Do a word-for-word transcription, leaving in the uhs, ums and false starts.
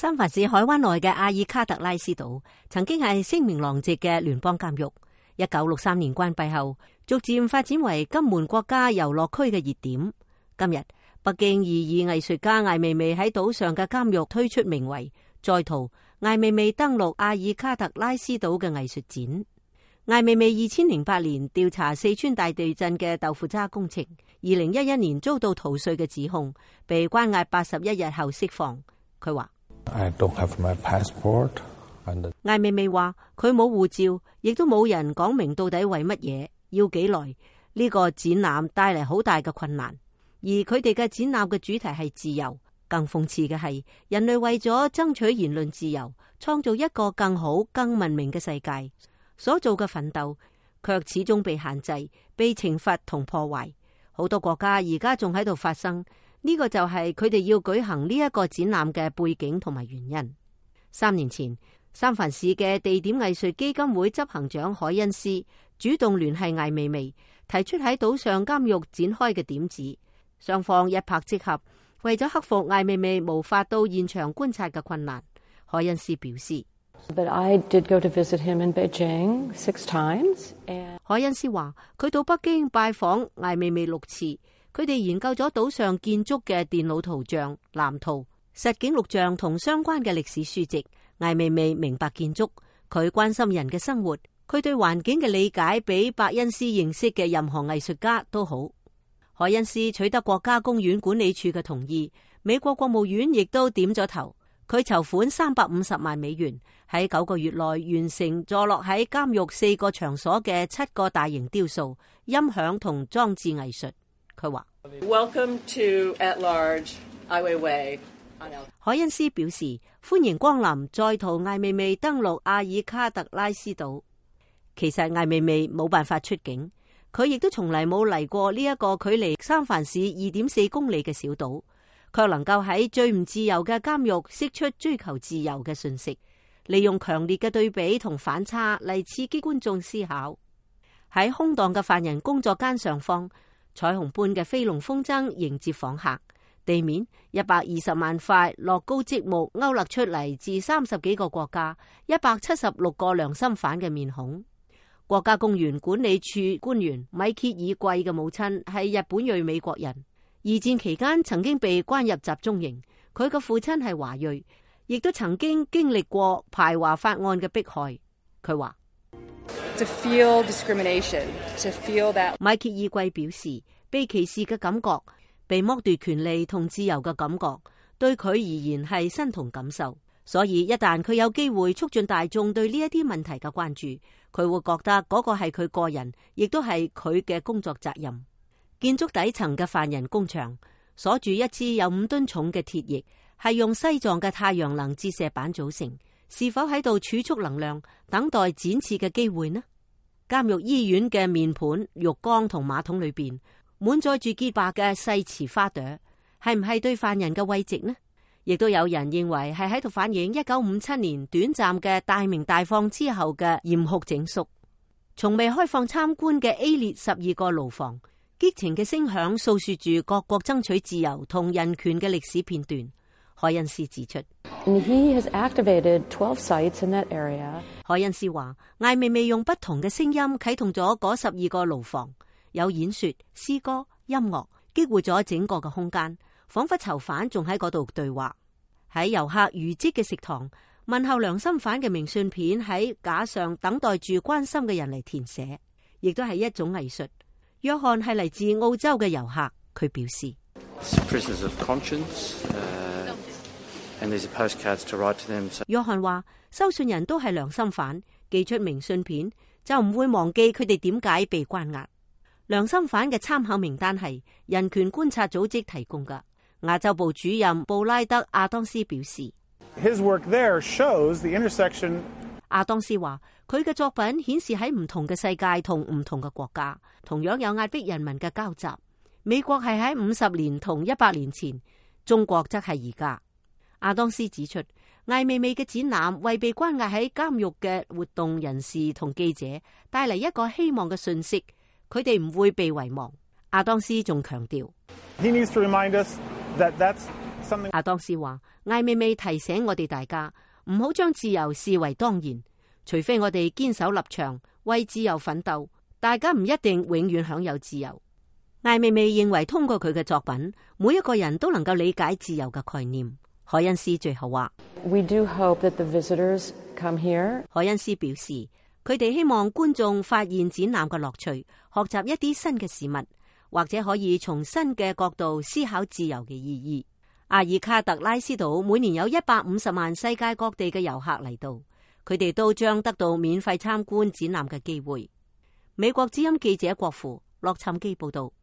三藩市海灣內嘅阿爾卡特拉斯島曾經係聲名狼藉嘅聯邦監獄，一九六三年關閉後，逐漸發展為金門國家遊樂區嘅熱點。今日北京異議藝術家艾未未喺島上嘅監獄推出名為《在逃：艾未未登陸阿爾卡特拉斯島》嘅藝術展。艾未未二千零八年調查四川大地震嘅豆腐渣工程，二零一一年遭到逃稅嘅指控，被關押八十一日後釋放。佢話I don't have my passport. 艾未未話佢冇護照，亦都冇人講明到底為乜嘢，要幾耐。呢個展覽帶嚟好大嘅困難，而佢哋嘅展覽嘅主題係自由。更諷刺嘅係，人類為咗爭取言論自由，創造一個更好、更文明嘅世界，所做嘅奮鬥卻始終被限制、被懲罰同破壞。好多國家而家仲喺度發生，呢個就係佢哋要舉行呢一個展覽嘅背景同埋原因。三年前，三藩市嘅地點藝術基金會執行長海恩斯主動聯繫艾未未，提出喺島上監獄展開嘅點子，雙方一拍即合。為咗克服艾未未無法到現場觀察嘅困難，海恩斯表示。But I did go to visit him in Beijing six times. And... 海恩斯話佢到北京拜訪艾未未六次，佢哋研究咗島上建築嘅電腦圖像、藍圖、實景錄像同相關嘅歷史書籍。艾未未明白建築，佢關心人嘅生活，佢對環境嘅理解比伯恩斯認識嘅任何藝術家都好。海恩斯取得國家公園管理處嘅同意，美國國務院亦都點咗頭。佢籌款三百五十萬美元，喺九個月內完成坐落喺監獄四個場所嘅七個大型雕塑、音響同裝置藝術。佢話：Welcome to at large艾未未。海恩斯表示歡迎光臨，在逃艾未未登陸阿爾卡特拉斯島。其實艾未未冇辦法出境，佢亦都從嚟冇嚟過呢一個距離三藩市二點四公里嘅小島，卻能夠喺最唔自由嘅監獄釋出追求自由嘅訊息，利用強烈嘅對比同反差嚟刺激觀眾思考。喺空蕩嘅犯人工作間上方，彩虹般嘅飛龍風箏迎接訪客。地面一百二十萬塊樂高積木勾勒出嚟自三十幾個國家一百七十六個良心犯嘅面孔。國家公園管理處官員米歇爾貴嘅母親係日本裔美國人，二戰期間曾經被關入集中營。佢嘅父親係華裔，亦都曾經經歷過排華法案嘅迫害。佢話：To feel discrimination, to feel that。米歇爾貴表示，被歧視嘅感覺，被剝奪權利同自由嘅感覺，對佢而言係身同感受。所以一旦佢有機會促進大眾對呢一啲問題嘅關注，佢會覺得嗰個係佢個人，亦都係佢嘅工作責任。建築底層嘅犯人工場鎖住一支有五噸重嘅鐵翼，係用西藏嘅太陽能折射板組成。是否喺度儲蓄能量，等待展翅嘅機會呢？監獄醫院嘅面盤、浴缸同馬桶裏邊滿載住潔白嘅細瓷花朵，係唔係對犯人嘅慰藉呢？亦都有人認為係喺度反映一九五七年短暫嘅大鳴大放之後嘅嚴酷整肅。從未開放參觀嘅 A 列十二個牢房，激情嘅聲響訴說住各國爭取自由同人權嘅歷史片段。海恩斯指出， He has activated twelve sites in that area. 海恩斯話，艾未未用不同嘅聲音啟動咗嗰十二個牢房，有演說、詩歌、音樂，激活咗整個嘅空間，仿佛囚犯仲喺嗰度對話。喺遊客如織嘅食堂，問候良心犯嘅明信片喺架上等待住關心嘅人嚟填寫，亦都係一種藝術。約翰係嚟自澳洲嘅遊客，佢表示。約翰話：收信人都係良心犯，寄出明信片就唔會忘記佢哋點解被關押。良心犯嘅參考名單係人權觀察組織提供㗎。亞洲部主任布拉德亞當斯表示： His work there shows the intersection。亞當斯話：佢嘅作品顯示喺唔同嘅世界同唔同嘅國家，同樣有壓迫人民嘅交集。美國係喺五十年同一百年前，中國則係而家。亞當斯指出，艾未未嘅展覽為被關押喺監獄嘅活動人士同記者帶嚟一個希望嘅訊息，佢哋唔會被遺忘。亞當斯仲強調， He needs to remind us that that's something. 阿當斯話：艾未未提醒我哋大家唔好將自由視為當然，除非我哋堅守立場，為自由奮鬥，大家唔一定永遠享有自由。艾未未認為通過佢嘅作品，每一個人都能夠理解自由嘅概念。海恩斯最後話 We do hope that the visitors come here. 海恩斯表示，佢哋希望觀眾發現展覽嘅樂趣，學習一啲新嘅事物，或者可以從新嘅角度思考自由嘅意義。阿爾卡特拉斯島每年有一百五十萬世界各地嘅遊客嚟到，佢哋都將得到免費參觀展覽嘅機會。美國之音記者郭芙洛杉磯報道。